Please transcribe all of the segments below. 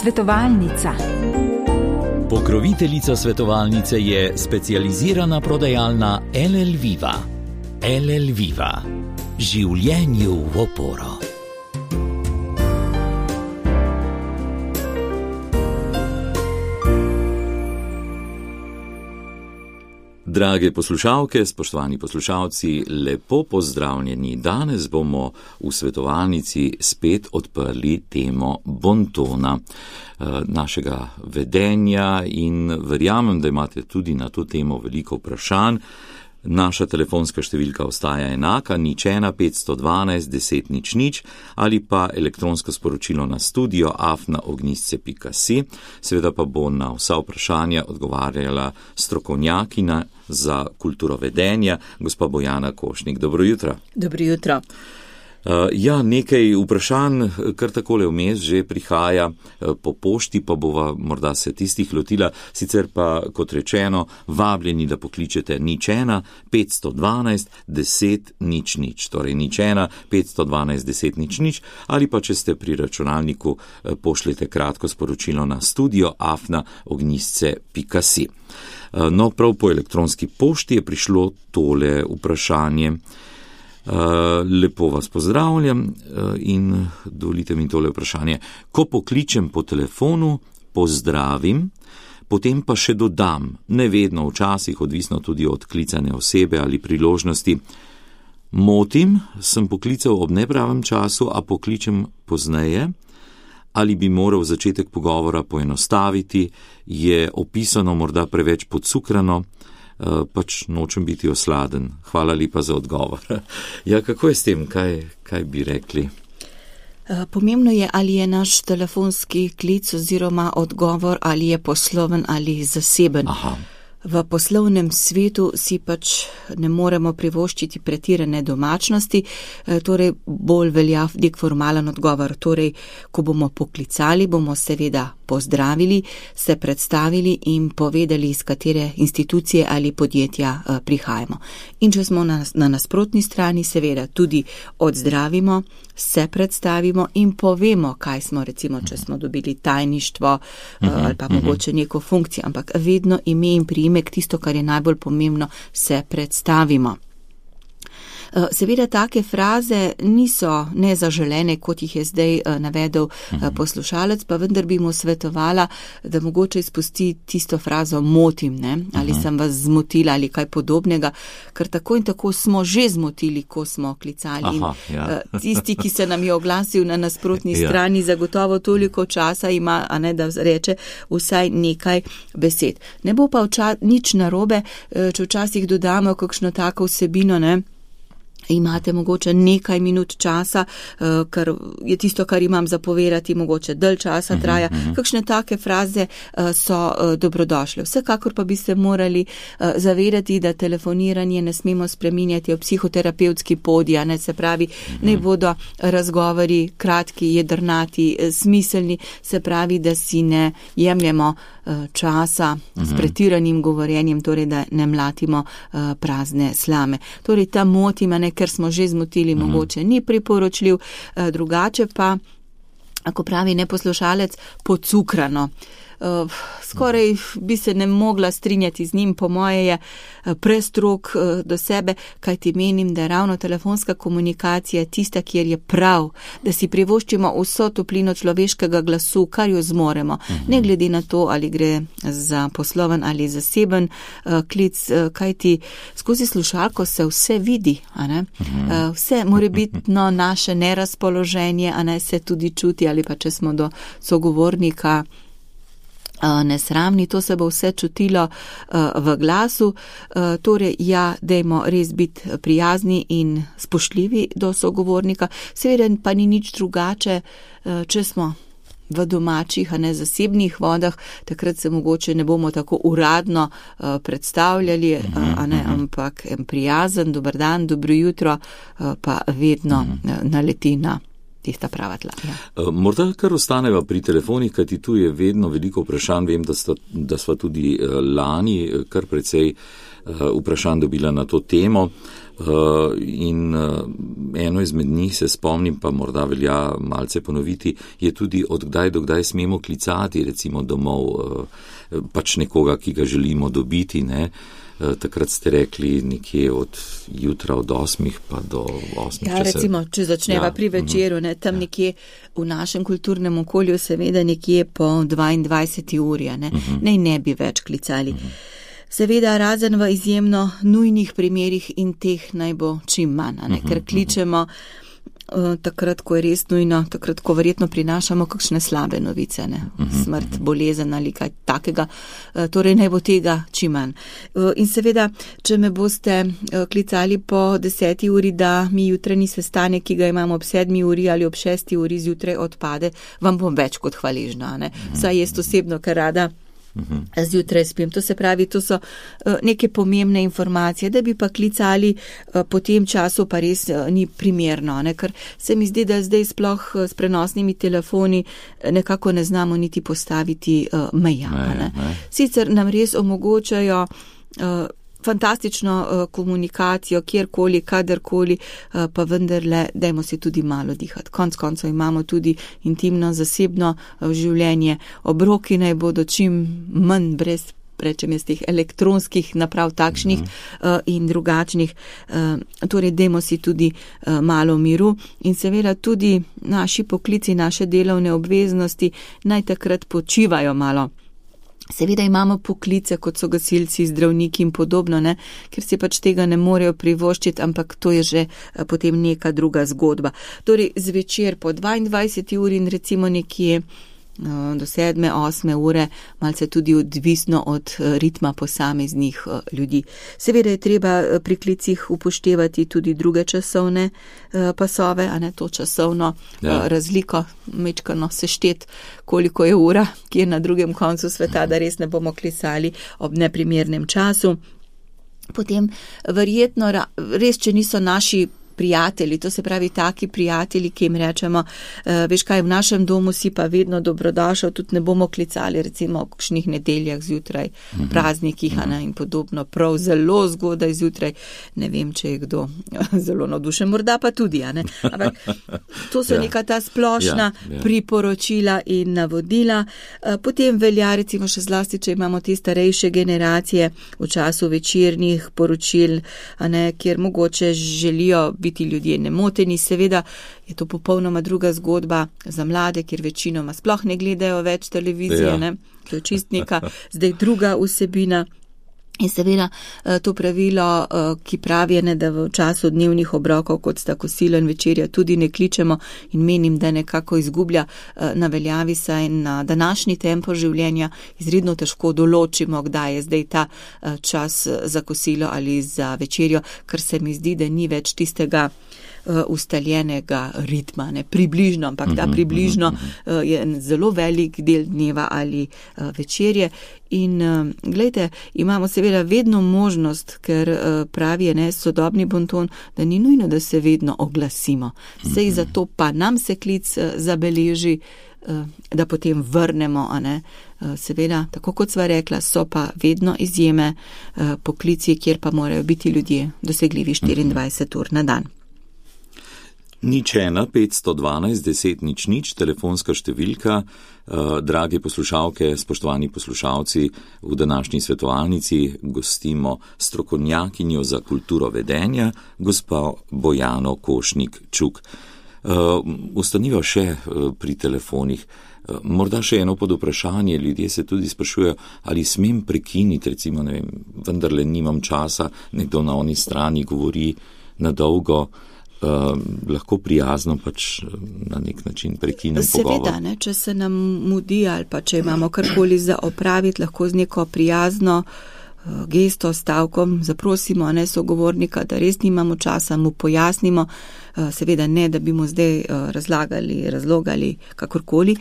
Svetovalnica. Pokroviteljica svetovalnice je specializirana prodajalna LL Viva. LL Viva. Življenju v oporo. Drage poslušalke, spoštovani poslušalci, lepo pozdravljeni. Danes bomo v svetovalnici spet odprli temo bontona, našega vedenja, in verjamem, da imate tudi na to temo veliko vprašanj. Naša telefonska številka ostaja enaka, 015121000 ali pa elektronsko sporočilo na studio@ognjisce.si. Seveda pa bo na vsa vprašanja odgovarjala strokovnjakinja za kulturo vedenja, gospa Bojana Košnik. Dobro jutro. Dobro jutro. Nekaj vprašanj kar takole vmes že prihaja po pošti, pa bova morda se tistih lotila, sicer pa, kot rečeno, vabljeni, da pokličete 015121000, torej 015121000, ali pa če ste pri računalniku, pošljete kratko sporočilo na studio@ognjisce.si. No, prav po elektronski pošti je prišlo tole vprašanje. Lepo vas pozdravljam in dovolite mi tole vprašanje. Ko pokličem po telefonu, pozdravim, potem pa še dodam, ne vedno, včasih, odvisno tudi od klicane osebe ali priložnosti. Motim, sem poklical ob nepravem času, a pokličem pozneje, ali bi moral začetek pogovora poenostaviti, je opisano morda preveč podcukrano, pač nočem biti osladen. Hvala lepa za odgovor. Ja, kako je s tem? Kaj bi rekli? Pomembno je, ali je naš telefonski klic oziroma odgovor, ali je posloven ali zaseben. Aha. V poslovnem svetu si pač ne moremo privoščiti pretirane domačnosti, torej bolj velja nek formalen odgovor. Torej, ko bomo poklicali, bomo seveda pozdravili, se predstavili in povedali, iz katere institucije ali podjetja prihajamo. In če smo na nasprotni strani, seveda tudi odzdravimo, se predstavimo in povemo, kaj smo, recimo, če smo dobili tajništvo ali pa mogoče neko funkcijo, ampak vedno ime in priimek, tisto, kar je najbolj pomembno, se predstavimo. Seveda take fraze niso nezaželene, kot jih je zdaj navedel poslušalec, pa vendar bi mu svetovala, da mogoče izpusti tisto frazo motim, ne? Ali sem vas zmotila ali kaj podobnega, ker tako in tako smo že zmotili, ko smo klicali. Aha, ja. Tisti, ki se nam je oglasil na nasprotni strani, zagotovo toliko časa ima, a ne, da reče vsaj nekaj besed. Ne bo pa nič narobe, če včasih dodamo kakšno tako vsebino, ne? Imate mogoče nekaj minut časa, ker je tisto, kar imam zapovedati, mogoče dalj časa traja. Kakšne take fraze so dobrodošle. Vsekakor pa bi se morali zavedati, da telefoniranje ne smemo spreminjati v psihoterapevtski podij, ne, se pravi, ne bodo razgovori kratki, jedrnati, smiselni, se pravi, da si ne jemljemo časa s pretiranim govorjenjem, torej da ne mlatimo prazne slame. Torej ta motima, ne, ker smo že zmotili, mogoče ni priporočljiv, drugače pa, ako pravi neposlušalec, podcukrano. Skoraj bi se ne mogla strinjati z njim, po moje je prestrog do sebe, kajti menim, da je ravno telefonska komunikacija tista, kjer je prav, da si privoščimo vso toplino človeškega glasu, kar jo zmoremo, ne glede na to, ali gre za posloven ali zaseben klic, kajti skozi slušalko se vse vidi, a ne? Vse morebitno naše nerazpoloženje, a ne, se tudi čuti, ali pa če smo do sogovornika nesramni, to se bo vse čutilo v glasu. Torej, dajmo res biti prijazni in spoštljivi do sogovornika. Seveda pa ni nič drugače, če smo v domačih, a ne zasebnih vodah, takrat se mogoče ne bomo tako uradno predstavljali, a ne, ampak prijazen, dober dan, dobro jutro, pa vedno naleti na tista prava tla. Ja. Morda kar ostaneva pri telefonih, kajti tu je vedno veliko vprašanj. Vem, da sva tudi lani kar precej vprašanj dobila na to temo. In eno izmed njih se spomnim, pa morda velja malce ponoviti, je tudi od kdaj do kdaj smemo klicati, recimo domov, pač nekoga, ki ga želimo dobiti, ne. Takrat ste rekli nekje od jutra od 8 pa do 8. Ja, recimo, če začneva pri večeru, ne, tam nekje v našem kulturnem okolju, seveda nekje po 22. uri, ne bi več klicali. Seveda, razen v izjemno nujnih primerih in teh naj bo čim manj, ker kličemo takrat, ko je res nujno, takrat, ko verjetno prinašamo kakšne slabe novice, smrt, bolezen ali kaj takega, torej naj bo tega čim manj. In seveda, če me boste klicali po 10. uri, da mi jutranji sestanek, ki ga imamo ob 7. uri ali ob 6. uri zjutraj odpade, vam bom več kot hvaležna, Saj jaz osebno, ker rada zjutraj spim. To se pravi, to so neke pomembne informacije, da bi pa klicali po tem času, pa res ni primerno, ker se mi zdi, da zdaj sploh s prenosnimi telefoni nekako ne znamo niti postaviti meja. Sicer nam res omogočajo fantastično komunikacijo, kjerkoli, kadarkoli, pa vendarle dajmo si tudi malo dihati. Konec koncev imamo tudi intimno, zasebno življenje. Obroki naj bodo čim manj brez, rečem jaz, teh elektronskih naprav takšnih in drugačnih. Torej, dajmo si tudi malo miru in seveda tudi naši poklici, naše delovne obveznosti naj takrat počivajo malo. Seveda imamo poklice, kot so gasilci, zdravniki in podobno, ker si pač tega ne morejo privoščiti, ampak to je že potem neka druga zgodba. Torej, zvečer po 22. uri in recimo nekje do 7. 8. ure, malce tudi odvisno od ritma posameznih ljudi. Seveda je treba pri klicih upoštevati tudi druge časovne pasove, to časovno razliko, mečkano seštet, koliko je ura, ki je na drugem koncu sveta, da res ne bomo klicali ob neprimernem času. Potem verjetno, res, če niso naši prijatelji, to se pravi taki prijatelji, ki jim rečemo, veš kaj, v našem domu si pa vedno dobrodošel, tudi ne bomo klicali recimo o kakšnih nedeljah zjutraj, praznikih in podobno, prav zelo zgodaj zjutraj, ne vem, če je kdo zelo navdušen, morda pa tudi, ampak to so neka ta splošna priporočila in navodila. Potem velja recimo še zlasti, če imamo te starejše generacije v času večernih poročil, kjer mogoče želijo biti ljudje nemoteni, seveda je to popolnoma druga zgodba za mlade, kjer večinoma sploh ne gledajo več televizije, to je čist neka zdaj druga vsebina. In seveda to pravilo, ki pravi, da v času dnevnih obrokov, kot sta kosilo in večerja, tudi ne kličemo in menim, da nekako izgublja na veljavi, saj na današnji tempo življenja izredno težko določimo, kdaj je zdaj ta čas za kosilo ali za večerjo, ker se mi zdi, da ni več tistega ustaljenega ritma, približno, ampak ta približno je zelo velik del dneva ali večerje. In glejte, imamo seveda vedno možnost, ker pravi sodobni bonton, da ni nujno, da se vedno oglasimo. Sej zato pa nam se klic zabeleži, da potem vrnemo, Seveda, tako kot sva rekla, so pa vedno izjeme poklici, kjer pa morajo biti ljudje dosegljivi 24 ur na dan. 01 512 10 00, telefonska številka. Drage poslušalke, spoštovani poslušalci, v današnji svetovalnici gostimo strokovnjakinjo za kulturo vedenja, gospa Bojano Košnik-Čuk. Ostaniva še pri telefonih. Morda še eno pod vprašanje, ljudje se tudi sprašujejo, ali smem prekiniti, recimo, ne vem, vendarle nimam časa, nekdo na oni strani govori na dolgo. Lahko prijazno pač na nek način prekinem pogovor. Seveda, če se nam mudi ali pa če imamo karkoli za opraviti, lahko z neko prijazno gesto, stavkom zaprosimo sogovornika, da res nimamo časa, mu pojasnimo, seveda ne, da bi mu zdaj razlogali kakorkoli,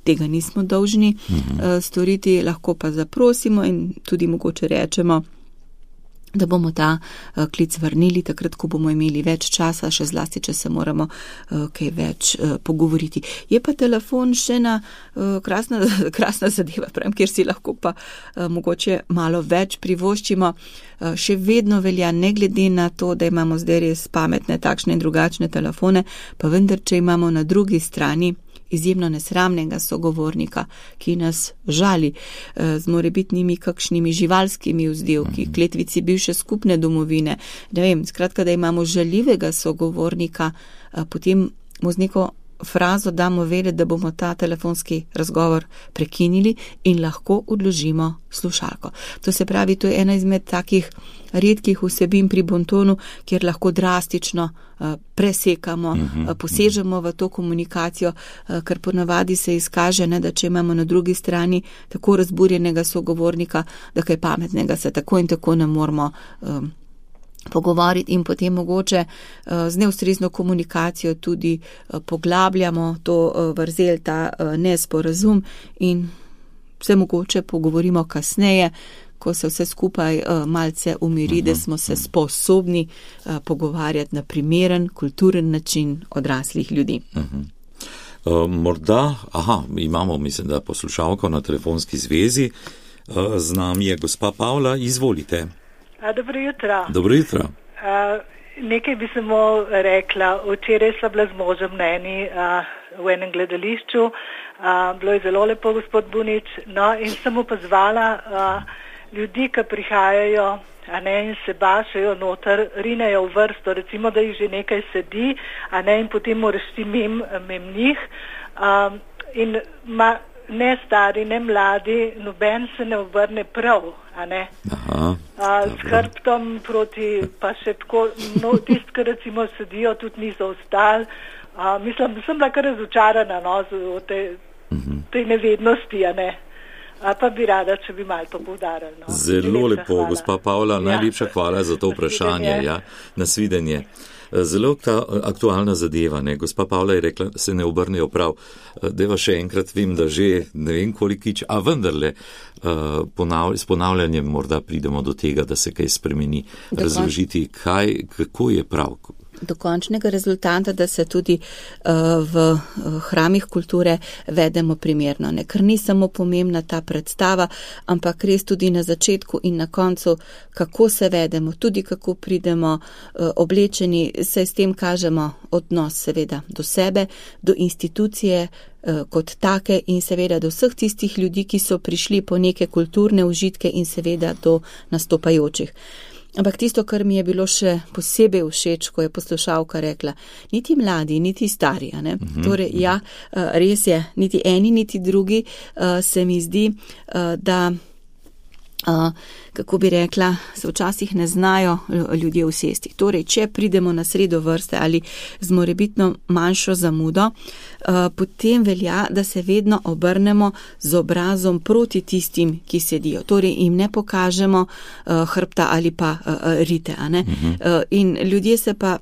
tega nismo dolžni storiti, lahko pa zaprosimo in tudi mogoče rečemo, da bomo ta klic vrnili takrat, ko bomo imeli več časa, še zlasti, če se moramo kaj več pogovoriti. Je pa telefon še ena krasna zadeva, pravim, kjer si lahko pa mogoče malo več privoščimo. Še vedno velja, ne glede na to, da imamo zdaj res pametne takšne in drugačne telefone, pa vendar, če imamo na drugi strani izjemno nesramnega sogovornika, ki nas žali z morebitnimi kakšnimi živalskimi vzdevki, kletvici bivše skupne domovine. Ne vem, skratka, da imamo žaljivega sogovornika, potem mu z neko frazo damo vedeti, da bomo ta telefonski razgovor prekinili in lahko odložimo slušalko. To se pravi, to je ena izmed takih redkih vsebin pri bontonu, kjer lahko drastično presekamo, posežemo v to komunikacijo, ker ponavadi se izkaže, da če imamo na drugi strani tako razburjenega sogovornika, da kaj pametnega se tako in tako ne moramo pogovoriti in potem mogoče z neustrezno komunikacijo tudi poglabljamo to vrzel, ta nesporazum in se mogoče pogovorimo kasneje, ko se vse skupaj malce umiri, da smo se sposobni pogovarjati na primeren, kulturen način odraslih ljudi. Morda, imamo, mislim, da poslušalko na telefonski zvezi, z nami je gospa Pavla, izvolite. Dobro jutro. Dobro jutro. Nekaj bi samo rekla. Včeraj sva bila z možem v enem gledališču. Bilo je zelo lepo, gospod Bunič. No, in sem pozvala ljudi, ki prihajajo in se bašajo noter, rinejo v vrsto, recimo, da jih že nekaj sedi, in potem moraš ti mim njih. In ne stari, ne mladi, noben se ne obrne prav, s hrbtom proti, pa še tako, tisti, ki recimo sedijo, tudi niso ostali. Mislim, sem bila kar razočarana, o tej nevednosti, pa bi rada, če bi malo to poudarili. Zelo lepo, gospa Pavla, najlepša hvala za to vprašanje, nasvidenje. Zelo aktualna zadeva, Gospa Pavla je rekla, se ne obrnejo prav. Deva še enkrat, vem, da že ne vem kolikič, a vendarle s ponavljanjem morda pridemo do tega, da se kaj spremeni, razložiti, kako je prav. Do končnega rezultata, da se tudi v hramih kulture vedemo primerno. Ker ni samo pomembna ta predstava, ampak res tudi na začetku in na koncu, kako se vedemo, tudi kako pridemo oblečeni, se s tem kažemo odnos seveda do sebe, do institucije kot take in seveda do vseh tistih ljudi, ki so prišli po neke kulturne užitke in seveda do nastopajočih. Ampak tisto, kar mi je bilo še posebej všeč, ko je poslušalka rekla, niti mladi, niti stari, Torej, res je, niti eni, niti drugi se mi zdi, da, kako bi rekla, se včasih ne znajo ljudje usesti. Torej, če pridemo na sredo vrste ali z morebitno manjšo zamudo, potem velja, da se vedno obrnemo z obrazom proti tistim, ki sedijo. Torej, jim ne pokažemo hrbta ali pa rite. In ljudje se pa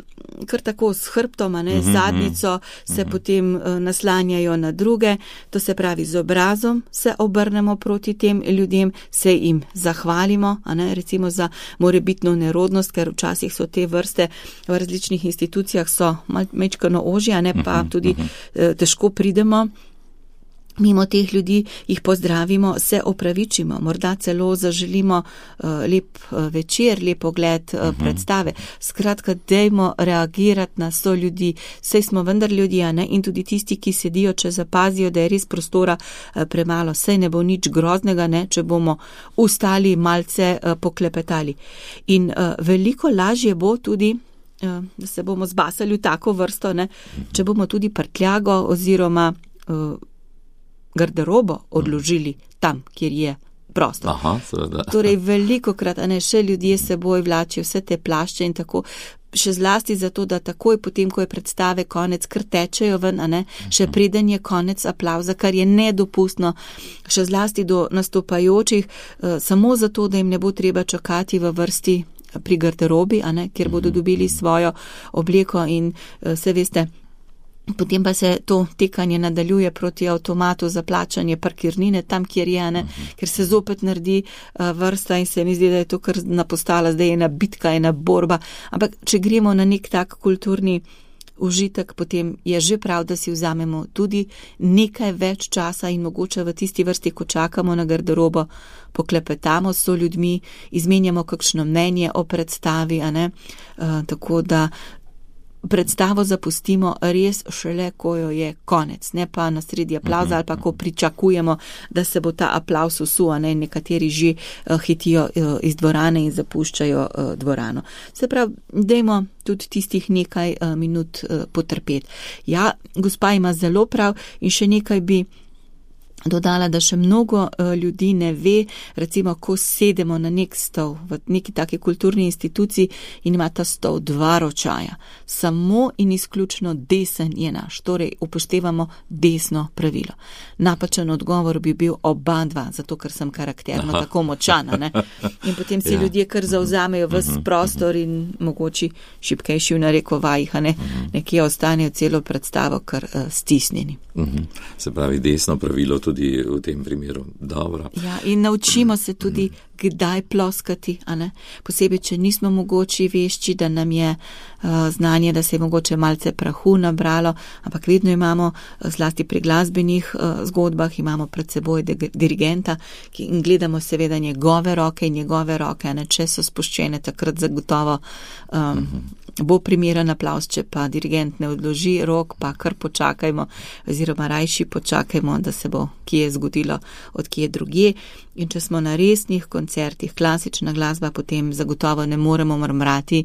kar tako s hrbtom, z zadnjico se potem naslanjajo na druge. To se pravi, z obrazom se obrnemo proti tem ljudem, se jim zahvalimo, recimo za morebitno nerodnost, ker včasih so te vrste v različnih institucijah so majčkeno ožje, pa tudi težko pridemo mimo teh ljudi, jih pozdravimo, se opravičimo, morda celo zaželimo lep večer, lep ogled predstave. Skratka, dajmo reagirati na so ljudi, saj smo vendar ljudje, in tudi tisti, ki sedijo, če zapazijo, da je res prostora premalo, saj ne bo nič groznega, če bomo ustali, malce poklepetali. In veliko lažje bo tudi, da se bomo zbasali v tako vrsto, če bomo tudi prtljago oziroma garderobo odložili tam, kjer je prostor. Torej, velikokrat, še ljudje seboj vlačijo vse te plašče in tako, še zlasti zato, da takoj potem, ko je predstave konec, kar tečejo ven, še preden je konec aplavza, kar je nedopustno, še zlasti do nastopajočih, samo zato, da jim ne bo treba čakati v vrsti pri garderobi, kjer bodo dobili svojo obleko in se veste, Potem pa se to tekanje nadaljuje proti avtomatu za plačanje parkirnine tam, kjer je, ne, ker se zopet naredi vrsta in se mi zdi, da je to kar napostala, zdaj je ena bitka, ena borba. Ampak če gremo na nek tak kulturni užitek, potem je že prav, da si vzamemo tudi nekaj več časa in mogoče v tisti vrsti, ko čakamo na garderobo, poklepetamo s ljudmi, izmenjamo kakšno mnenje o predstavi, a ne, tako da predstavo zapustimo res šele, ko jo je konec, ne pa na sredi aplavza ali pa ko pričakujemo, da se bo ta aplavz usul, ne, nekateri že hitijo iz dvorane in zapuščajo dvorano. Se pravi, dajmo tudi tistih nekaj minut potrpeti. Ja, gospa ima zelo prav in še nekaj bi dodala, da še mnogo ljudi ne ve, recimo, ko sedemo na nek stol v neki taki kulturni instituciji in ima ta stol 2 ročaja. Samo in izključno desen je naš, torej upoštevamo desno pravilo. Napačen odgovor bi bil oba dva, zato ker sem karakterno tako močana, ne? In potem si ljudje kar zavzamejo ves prostor in mogoče šibkejši v narekovajih, ne? Nekje ostanejo celo predstavo kar stisnjeni. Se pravi, desno pravilo tudi v tem primeru. Dobro. Ja, in naučimo se tudi, kdaj ploskati, a ne? Posebej, če nismo mogoče vešči, da nam je znanje, da se je mogoče malce prahu nabralo, ampak vedno imamo, zlasti pri glasbenih zgodbah, imamo pred seboj dirigenta in gledamo seveda njegove roke, a ne, če so spuščene, takrat zagotovo bo primeren aplavz, če pa dirigent ne odloži rok, pa kar počakajmo, oziroma rajši počakajmo, da se bo kje zgodilo od kje drugje. In če smo na resnih koncertih, klasična glasba, potem zagotovo ne moremo mrmrati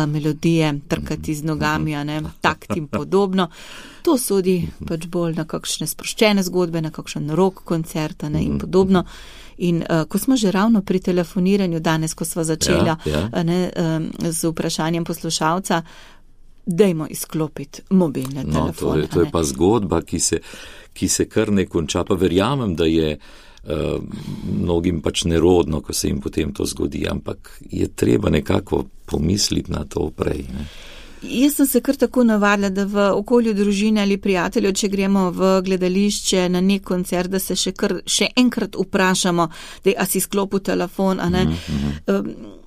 melodije, trkati z nogami, a ne, takt in podobno. To sodi pač bolj na kakšne sproščene zgodbe, na kakšen rock koncert, a ne, in podobno. In ko smo že ravno pri telefoniranju danes, ko sva začela z vprašanjem poslušalca, dajmo izklopiti mobilne telefone. To je pa zgodba, ki se kar ne konča, pa verjamem, da je mnogim pač nerodno, ko se jim potem to zgodi, ampak je treba nekako pomisliti na to prej, ne. Jaz sem se kar tako navadila, da v okolju družine ali prijateljev, če gremo v gledališče na nek koncert, da se še enkrat vprašamo, da a si sklopil telefon, a ne.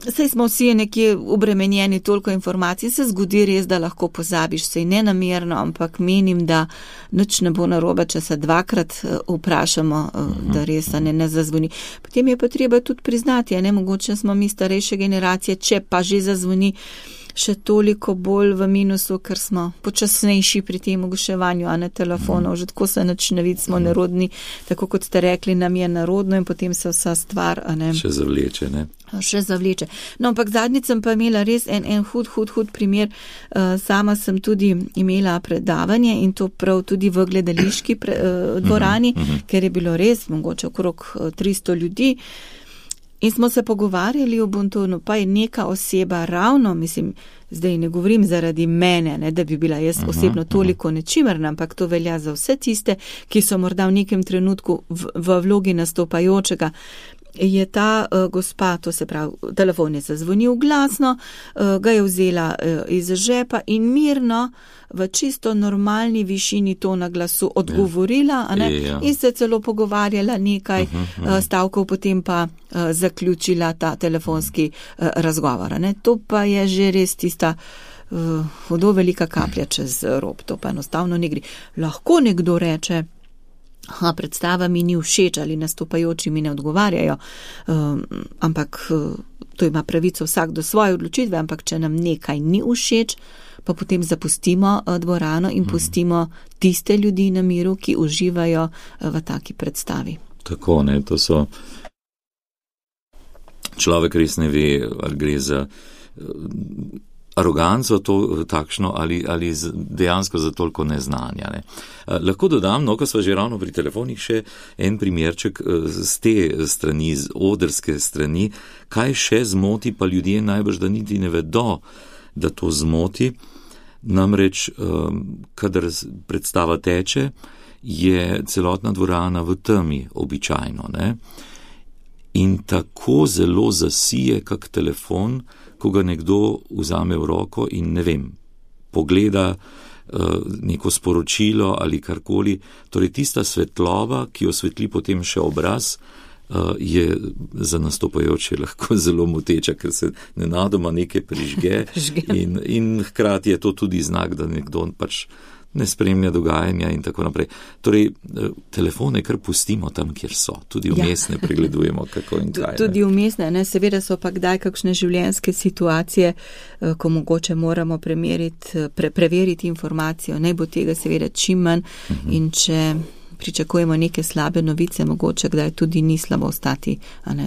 Saj smo vsi nekje obremenjeni toliko informacij, se zgodi res, da lahko pozabiš, sej nenamerno, ampak menim, da nič ne bo narobe, če se 2-krat vprašamo, da res ne zazvoni. Potem je pa treba tudi priznati, a ne, mogoče smo mi starejše generacije, če pa že zazvoni, še toliko bolj v minusu, ker smo počasnejši pri tem oglaševanju, a ne telefonov, že tako se nič ne vidi, smo nerodni, tako kot ste rekli, nam je narodno in potem se vsa stvar, a ne. Še zavleče, ne. Še zavleče. No, ampak zadnjič sem pa imela res en hud primer. Sama sem tudi imela predavanje in to prav tudi v gledališki dvorani, ker je bilo res mogoče okrog 300 ljudi. In smo se pogovarjali o bontonu, pa je neka oseba ravno, mislim, zdaj ne govorim zaradi mene, ne, da bi bila jaz osebno toliko nečimerna, ampak to velja za vse tiste, ki so morda v nekem trenutku v vlogi nastopajočega. Je ta gospa, to se pravi, telefon je zazvonil glasno, ga je vzela iz žepa in mirno v čisto normalni višini tona glasu odgovorila, a ne, in se celo pogovarjala nekaj stavkov, potem pa zaključila ta telefonski razgovor, a ne. To pa je že res tista hudo velika kaplja čez rob, to pa enostavno ne gre. Lahko nekdo reče, predstava mi ni všeč ali nastopajoči mi ne odgovarjajo, ampak to ima pravico vsak do svoje odločitve, ampak če nam nekaj ni všeč, pa potem zapustimo dvorano in pustimo tiste ljudi na miru, ki uživajo v taki predstavi. Tako, ne, to so človek res ne ve, ali gre za aroganco to takšno ali dejansko za toliko neznanja. Ne. Lahko dodam, no, ko sva že ravno pri telefonih, še en primerček z te strani, z odrske strani, kaj še zmoti, pa ljudje najbrž, da niti ne vedo, da to zmoti. Namreč, kadar predstava teče, je celotna dvorana v temi običajno, ne. In tako zelo zasije kak telefon, ko ga nekdo vzame v roko in ne vem, pogleda neko sporočilo ali karkoli. Torej tista svetloba, ki osvetli potem še obraz, je za nastopajoče lahko zelo moteča, ker se nenadoma nekaj prižge in hkrati je to tudi znak, da nekdo pač ne spremlja dogajanja in tako naprej. Torej, telefone kar pustimo tam, kjer so. Tudi vmes ne pregledujemo, kako in kaj. Tudi vmes ne. Seveda so pa kdaj kakšne življenjske situacije, ko mogoče moramo preveriti informacijo. Naj bo tega seveda čim manj in če pričakujemo neke slabe novice, mogoče kdaj tudi ni slabo ostati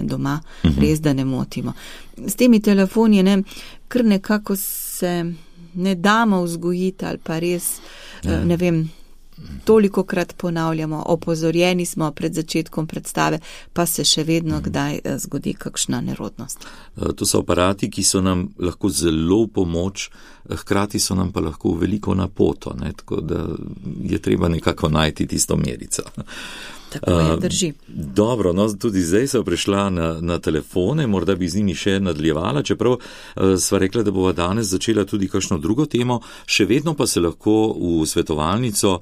doma, res da ne motimo. S temi telefoni kar nekako se ne damo vzgojiti ali pa res, ne vem, tolikokrat ponavljamo, opozorjeni smo pred začetkom predstave, pa se še vedno kdaj zgodi kakšna nerodnost. To so aparati, ki so nam lahko zelo v pomoč, hkrati so nam pa lahko veliko napoto, tako da je treba nekako najti tisto merico. Tako je, drži. Dobro, tudi zdaj so prišla na telefone, morda bi z njimi še nadaljevala, čeprav sva rekla, da bova danes začela tudi kakšno drugo temo, še vedno pa se lahko v svetovalnico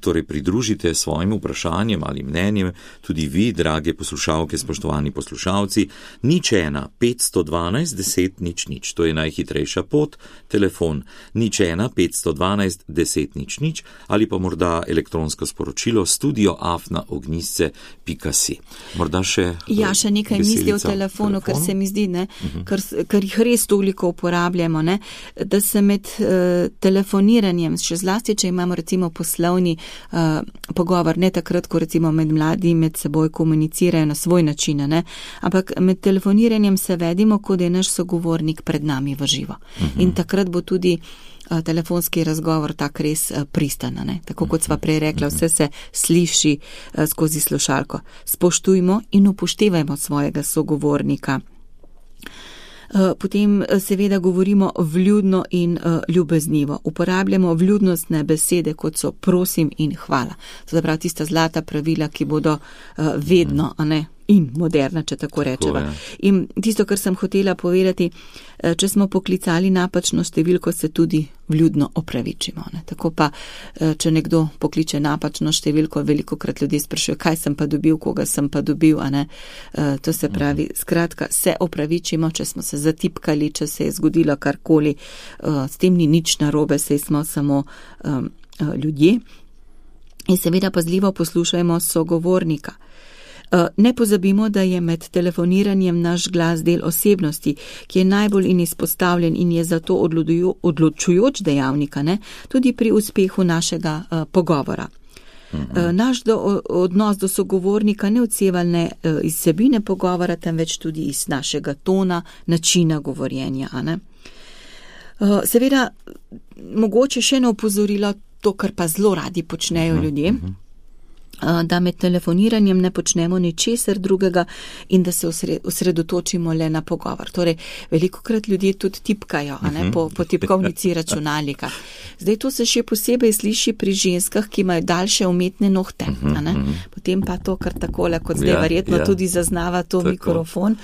torej pridružite svojim vprašanjem ali mnenjem, tudi vi, drage poslušalke, spoštovani poslušalci, 01 512 10 00, to je najhitrejša pot, telefon 01 512 10 00 ali pa morda elektronsko sporočilo studio@ognisce.si. Morda še še nekaj misli o telefonu, ker se mi zdi, ker jih res toliko uporabljamo, da se med telefoniranjem, še zlasti, če imamo recimo poslovni pogovor, ne takrat, ko recimo med mladi med seboj komunicirajo na svoj način, ampak med telefoniranjem se vedimo, kot je naš sogovornik pred nami v živo. In takrat bo tudi telefonski razgovor tak res pristana. Tako kot sva prej rekla, vse se sliši skozi slušalko. Spoštujmo in upoštevajmo svojega sogovornika. Potem seveda govorimo vljudno in ljubeznivo. Uporabljamo vljudnostne besede, kot so prosim in hvala. To je prav tista zlata pravila, ki bodo vedno, in moderna, če tako rečeva. In tisto, kar sem hotela povedati, če smo poklicali napačno številko, se tudi vljudno opravičimo. Tako pa, če nekdo pokliče napačno številko, velikokrat ljudje sprašujejo, kaj sem pa dobil, koga sem pa dobil, To se pravi, skratka, se opravičimo, če smo se zatipkali, če se je zgodilo karkoli, s tem ni nič narobe, saj smo samo ljudje. In seveda pazljivo poslušajmo sogovornika. Ne pozabimo, da je med telefoniranjem naš glas del osebnosti, ki je najbolj izpostavljen in je zato odločujoč dejavnika, tudi pri uspehu našega pogovora. Naš odnos do sogovornika ne odseva le iz vsebine pogovora, temveč tudi iz našega tona, načina govorjenja. Seveda, mogoče še eno opozorilo, to, kar pa zelo radi počnejo ljudje, da med telefoniranjem ne počnemo ničesar drugega in da se osredotočimo le na pogovor. Torej, velikokrat ljudje tudi tipkajo po tipkovnici računalnika. Zdaj to se še posebej sliši pri ženskah, ki imajo daljše umetne nohte. Potem pa to kar takole, kot zdaj verjetno tudi zaznava to mikrofon.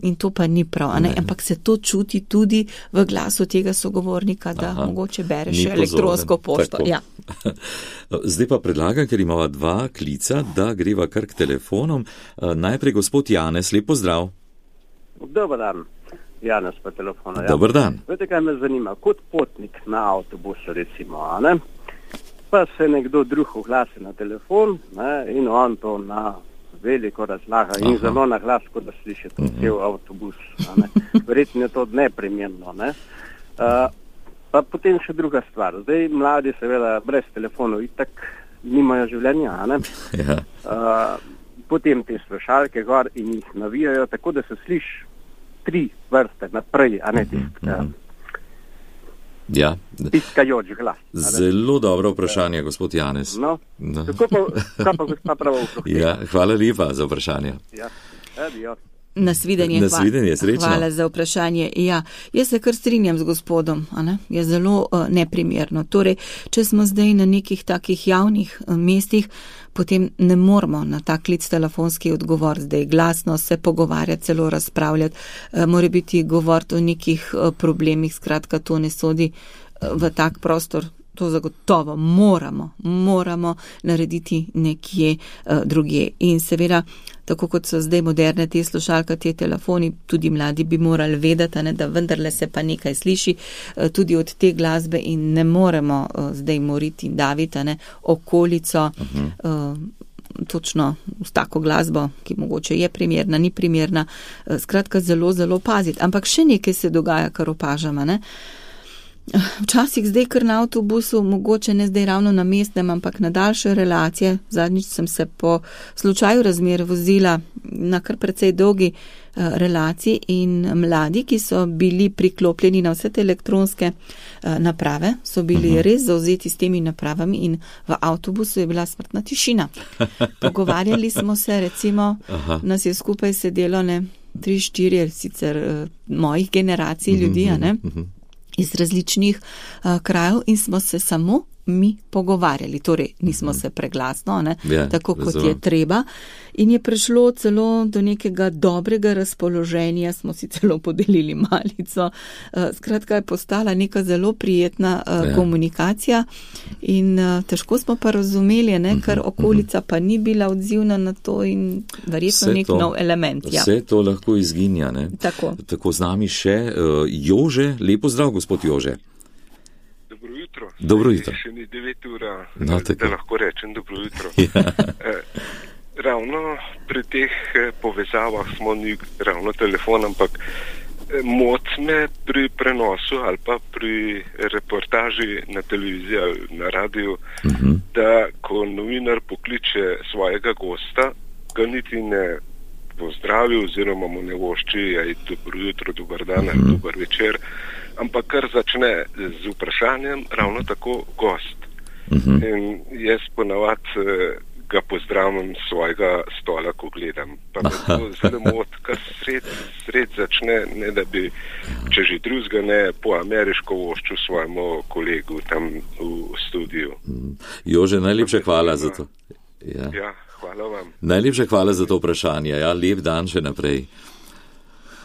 In to pa ni prav, ampak se to čuti tudi v glasu tega sogovornika, da mogoče bereš elektronsko pošto. Ja. Zdaj pa predlagam, ker imamo 2 klica, da greva kar k telefonom. Najprej gospod Janez, lep pozdrav. Dobar dan, Janez pa telefona. Dobar dan. Vete, kaj me zanima, kot potnik na avtobusu recimo, pa se nekdo drug oglasi na telefon in on to na veliko razlaga in zelo na glas, kot da slišite cel avtobus. Verjetno je to neprimerno. Pa potem še druga stvar. Zdaj mladi seveda brez telefonov itak nimajo življenja. Potem te slušalke gor in jih navijajo, tako da se sliši 3 vrste naprej, piskajoč glas. Zelo dobro vprašanje, gospod Janez. Tako pa gospa pravo vprašanje. Hvala lepa za vprašanje. Adijo. Nasvidenje, srečno. Hvala za vprašanje. Jaz se kar strinjam z gospodom, je zelo neprimerno. Torej, če smo zdaj na nekih takih javnih mestih, potem ne moramo na ta klic telefonski odgovor zdaj glasno se pogovarjati, celo razpravljati, mora biti govor o nekih problemih, skratka to ne sodi v tak prostor to zagotovo moramo narediti nekje drugje. In seveda, tako kot so zdaj moderne te slušalke, te telefoni, tudi mladi bi morali vedeti, da vendarle se pa nekaj sliši tudi od te glasbe in ne moremo zdaj moriti in daviti okolico točno s tako glasbo, ki mogoče je primerna, ni primerna, skratka zelo, zelo paziti. Ampak še nekaj se dogaja, kar opažamo, Včasih zdaj kar na avtobusu, mogoče ne zdaj ravno na mestnem, ampak na daljše relacije. Zadnjič sem se po slučaju razmer vozila na kar precej dolgi relaciji in mladi, ki so bili priklopljeni na vse te elektronske naprave, so bili res zauzeti s temi napravami in v avtobusu je bila smrtna tišina. Pogovarjali smo se, recimo, nas je skupaj sedelo 3-4 sicer mojih generacij ljudi, iz različnih krajev in smo se samo mi pogovarjali, torej nismo se preglasno, tako kot je treba. In je prišlo celo do nekega dobrega razpoloženja, smo si celo podelili malico. Skratka je postala neka zelo prijetna komunikacija in težko smo pa razumeli, ker okolica pa ni bila odzivna na to in verjetno nek nov element. Vse to lahko izginja. Tako z nami še Jože. Lepo zdrav, gospod Jože. Dobro jutro. Še ni 9 ura, da lahko rečem dobro jutro. Ravno pri teh povezavah smo ni ravno telefon, ampak moti me pri prenosu ali pa pri reportaži na televiziji ali na radiju, da ko novinar pokliče svojega gosta, ga niti ne pozdravi oziroma mu ne vošči dobro jutro, dober dan ali dober večer, ampak kar začne z vprašanjem ravno tako gost. In jaz ponavad ga pozdravim svojega stola, ko gledam. Pa me to zelo moti, kar sred začne, ne da bi, če že drugega ne, po ameriško vošču svojemu kolegu tam v studiu. Jože, najlepša hvala za to. Ja, hvala vam. Najlepša hvala za to vprašanje. Lep dan še naprej.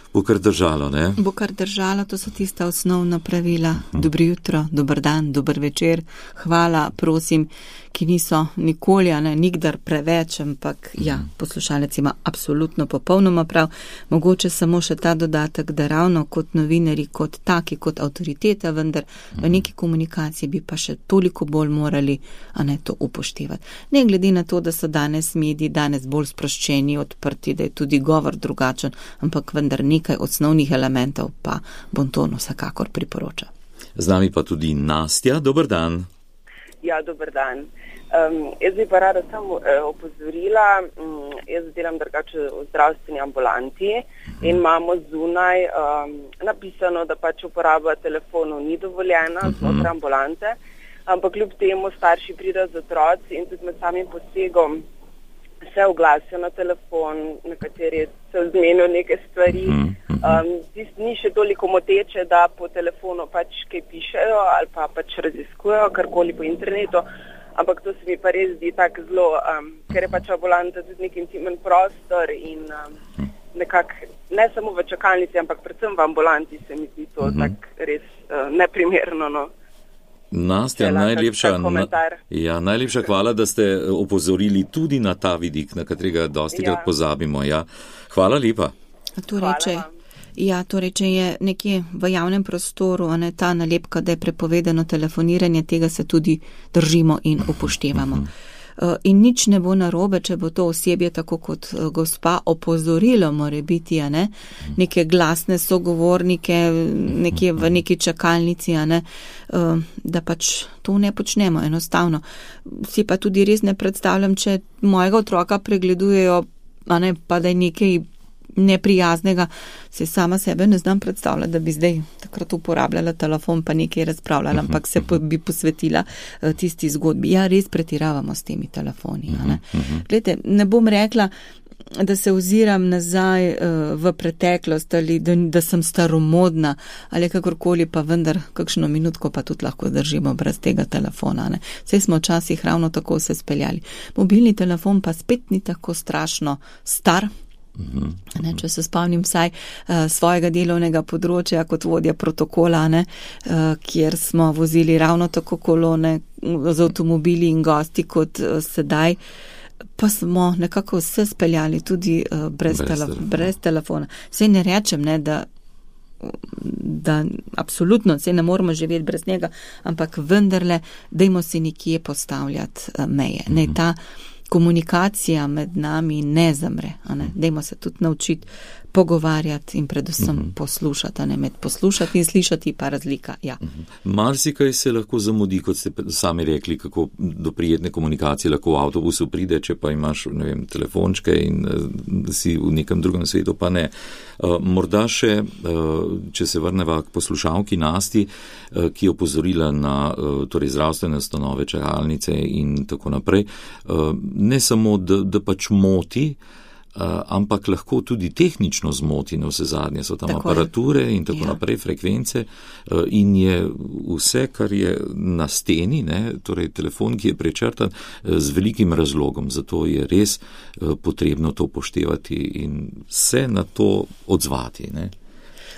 Bo kar držalo, ne? Bo kar držalo, to so tista osnovna pravila. Dobro jutro, dober dan, dober večer, hvala, prosim, ki niso nikoli, nikdar preveč, ampak poslušalec ima absolutno popolnoma prav. Mogoče samo še ta dodatek, da ravno kot novinari, kot taki, kot avtoriteta, vendar v neki komunikaciji bi pa še toliko bolj morali to upoštevati. Ne glede na to, da so danes mediji bolj sproščeni, odprti, da je tudi govor drugačen, ampak vendar nekaj osnovnih elementov pa Bonton vsekakor priporoča. Z nami pa tudi Nastja, dober dan. Ja, dober dan. Jaz bi pa rada samo opozorila, jaz delam drugače v zdravstveni ambulanti in imamo zunaj napisano, da pač uporaba telefonov ni dovoljena znotraj ambulante, ampak kljub temu starši pridejo z otroci in tudi med samim posegom se oglasijo na telefon, na kateri se vzmenijo neke stvari. Ni še toliko moteče, da po telefonu pač kaj pišejo ali pa pač raziskujejo karkoli po internetu, ampak to se mi pa res zdi tako zelo, ker je pač ambulanta tudi nek intimen prostor in nekako ne samo v čakalnici, ampak predvsem v ambulanti se mi zdi to tako res neprimerno. Nastja, najlepša hvala, da ste opozorili tudi na ta vidik, na katerega dostikrat pozabimo. Hvala lepa. Torej, če je nekje v javnem prostoru ta nalepka, da je prepovedano telefoniranje, tega se tudi držimo in upoštevamo. In nič ne bo narobe, če bo to osebje, tako kot gospa, opozorilo more biti, neke glasne sogovornike, nekje v neki čakalnici, da pač to ne počnemo enostavno. Si pa tudi res ne predstavljam, če mojega otroka pregledujejo, pa da je nekaj neprijaznega, se sama sebe ne znam predstavljati, da bi zdaj takrat uporabljala telefon pa nekaj razpravljala, ampak se bi posvetila tisti zgodbi. Res pretiravamo s temi telefoni. Glejte, ne bom rekla, da se oziram nazaj v preteklost ali da sem staromodna ali kakorkoli, pa vendar kakšno minutko pa tudi lahko držimo brez tega telefona. Saj smo včasih ravno tako se speljali. Mobilni telefon pa spet ni tako strašno star, Če se spomnim vsaj svojega delovnega področja kot vodja protokola, kjer smo vozili ravno tako kolone z avtomobili in gosti kot sedaj, pa smo nekako vse speljali tudi brez telefona. Sej ne rečem, da absolutno se ne moramo živeti brez njega, ampak vendarle dajmo si nekje postavljati meje. Naj ta komunikacija med nami ne zamre. Dajmo se tudi naučiti pogovarjati in predvsem poslušati. Med poslušati in slišati pa razlika. Ja. Marsikaj se lahko zamudi, kot ste sami rekli, kako do prijetne komunikacije lahko v avtobusu pride, če pa imaš, telefončke in si v nekem drugem svetu, pa ne. Morda še, če se vrneva k poslušalki Nasti, ki je opozorila na zdravstvene ustanove, čakalnice in tako naprej, ne samo, da pač moti, ampak lahko tudi tehnično zmoti, na vse zadnje so tam aparature in tako naprej, frekvence, in je vse, kar je na steni, torej telefon, ki je prečrtan, z velikim razlogom, zato je res potrebno to poštevati in se na to odzvati.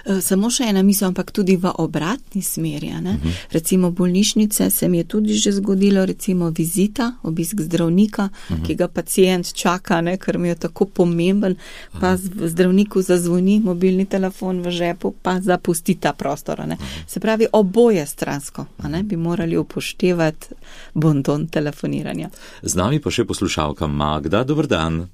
Samo še ena misel, ampak tudi v obratni smeri. Recimo bolnišnice se mi je tudi že zgodilo, recimo vizita, obisk zdravnika, ki ga pacient čaka, ker mi je tako pomemben, pa zdravniku zazvoni mobilni telefon v žepu, pa zapusti ta prostor. Se pravi, oboje stransko bi morali upoštevati bonton telefoniranja. Z nami pa še poslušalka Magda. Dober dan.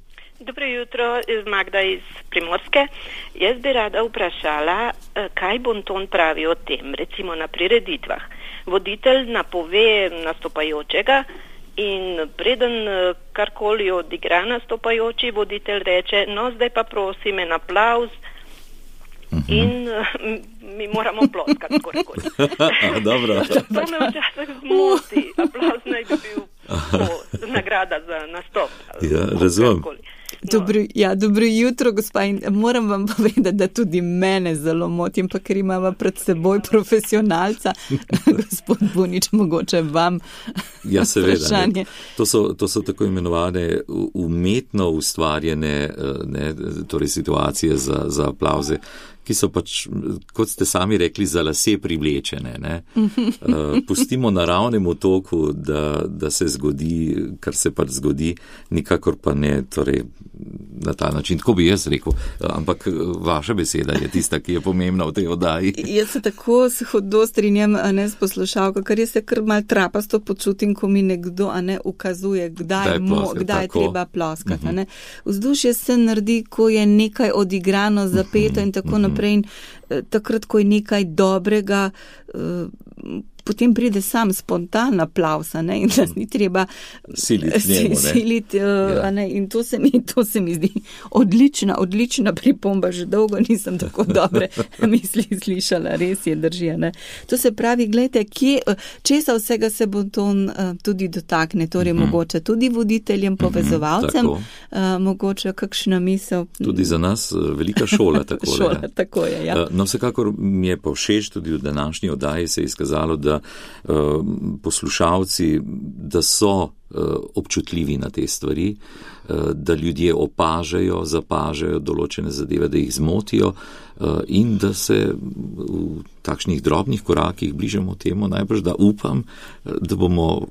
Dobro jutro, Magda iz Primorske. Jaz bi rada vprašala, kaj bonton pravi o tem, recimo na prireditvah. Voditelj napove nastopajočega in preden karkoli odigra nastopajoči, voditelj reče, no zdaj pa prosim en aplavz in mi moramo ploskati skoraj. Dobro. To me včasih zmoti, aplavz naj bi bil nagrada za nastop. Ja, razumem. Dobro jutro, gospa, in moram vam povedati, da tudi mene zelo motim, pa ker imamo pred seboj profesionalca, gospod Bunič, mogoče vam vprašanje. To so tako imenovane umetno ustvarjene torej situacije za aplavze, ki so pač, kot ste sami rekli, za lase privlečene. Pustimo naravnemu toku, da se zgodi, kar se pač zgodi, nikakor pa ne, torej na ta način, tako bi jaz rekel, ampak vaša beseda je tista, ki je pomembna v tej oddaji. Jaz se tako hudo strinjam s poslušalko, ker jaz se kar mal trapasto počutim, ko mi nekdo ukazuje, kdaj je treba ploskati. Vzdušje se naredi, ko je nekaj odigrano, zapeto in tako naprej. In takrat, ko je nekaj dobrega, potem pride sam spontan aplavz, in nas ni treba siliti. In to se mi zdi odlična pripomba, že dolgo nisem tako dobre misli slišala, res je, drži. To se pravi, gledajte, česa vsega se bonton tudi dotakne, torej mogoče tudi voditeljem, povezovalcem, mogoče kakšna misel. Tudi za nas velika šola, tako šola, tako je, ja. No, vsekakor mi je pa všeč, tudi v današnji oddaji se je izkazalo, da poslušalci, da so občutljivi na te stvari, da ljudje opažajo, zapažajo določene zadeve, da jih zmotijo in da se v takšnih drobnih korakih bližamo temu, najbrž da upam, da bomo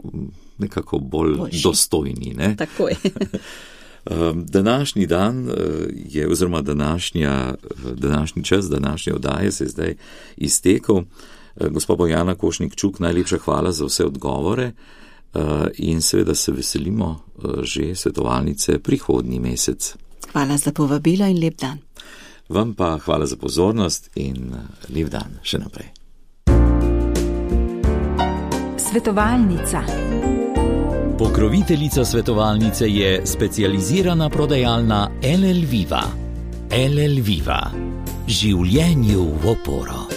nekako bolj dostojni. Tako je. Današnji dan je, oziroma današnji čas, današnje oddaje se je zdaj iztekel. Gospa Bojana Košnik-Čuk, najlepša hvala za vse odgovore in seveda se veselimo že svetovalnice prihodnji mesec. Hvala za povabilo in lep dan. Vam pa hvala za pozornost in lep dan še naprej. Svetovalnica. Pokroviteljica svetovalnice je specializirana prodajalna LL Viva. LL Viva. Življenju v oporo.